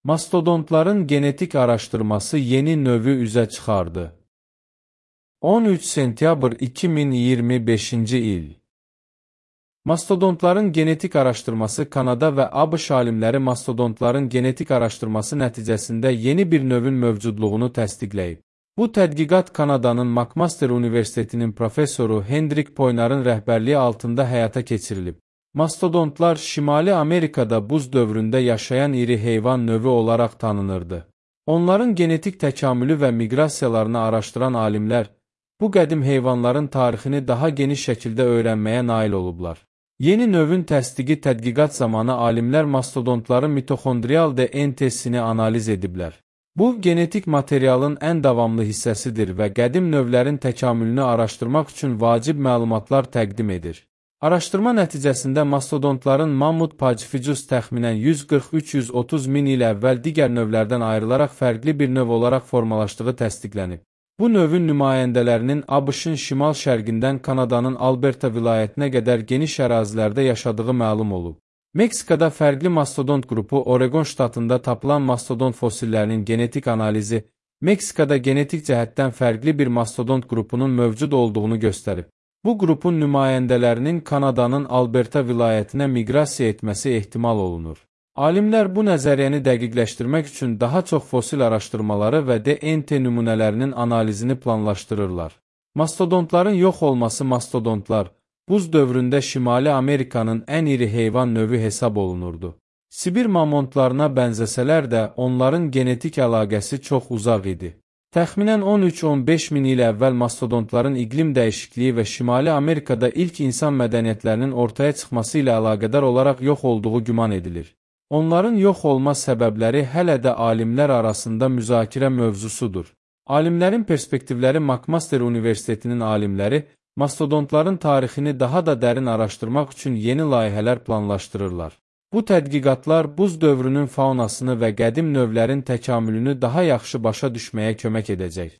Mastodontların genetik araşdırması yeni növü üzə çıxardı. 13 sentyabr 2025-ci il. Mastodontların genetik araşdırması Kanada və ABŞ alimləri mastodontların genetik araşdırması nəticəsində yeni bir növün mövcudluğunu təsdiqləyib. Bu tədqiqat Kanadanın McMaster Universitetinin professoru Hendrik Poynarın rəhbərliyi altında həyata keçirilib. Mastodontlar Şimali Amerikada buz dövründə yaşayan iri heyvan növü olaraq tanınırdı. Onların genetik təkamülü və miqrasiyalarını araşdıran alimlər, bu qədim heyvanların tarixini daha geniş şəkildə öyrənməyə nail olublar. Yeni növün təsdiqi tədqiqat zamanı alimlər mastodontların mitoxondrial DNT-sini analiz ediblər. Bu, genetik materialın ən davamlı hissəsidir və qədim növlərin təkamülünü araşdırmaq üçün vacib məlumatlar təqdim edir. Araşdırma nəticəsində mastodontların Mammut pacifijus təxminən 140-330 min il əvvəl digər növlərdən ayrılaraq fərqli bir növ olaraq formalaşdığı təsdiqlənib. Bu növün nümayəndələrinin ABŞ-ın şimal-şərqindən Kanadanın Alberta vilayətinə qədər geniş ərazilərdə yaşadığı məlum olub. Meksikada fərqli mastodont qrupu Oregon ştatında tapılan mastodont fosillərinin genetik analizi, Meksikada genetik cəhətdən fərqli bir mastodont qrupunun mövcud olduğunu göstərib. Bu qrupun nümayəndələrinin Kanadanın Alberta vilayətinə miqrasiya etməsi ehtimal olunur. Alimlər bu nəzəriyyəni dəqiqləşdirmək üçün daha çox fosil araşdırmaları və DNT nümunələrinin analizini planlaşdırırlar. Mastodontların yox olması mastodontlar, buz dövründə Şimali Amerikanın ən iri heyvan növü hesab olunurdu. Sibir mamontlarına bənzəsələr də onların genetik əlaqəsi çox uzaq idi. Təxminən 13-15 min il əvvəl mastodontların iqlim dəyişikliyi və Şimali Amerikada ilk insan mədəniyyətlərinin ortaya çıxması ilə əlaqədar olaraq yox olduğu güman edilir. Onların yox olma səbəbləri hələ də alimlər arasında müzakirə mövzusudur. Alimlərin perspektivləri McMaster Universitetinin alimləri, mastodontların tarixini daha da dərin araşdırmaq üçün yeni layihələr planlaşdırırlar. Bu tədqiqatlar buz dövrünün faunasını və qədim növlərin təkamülünü daha yaxşı başa düşməyə kömək edəcək.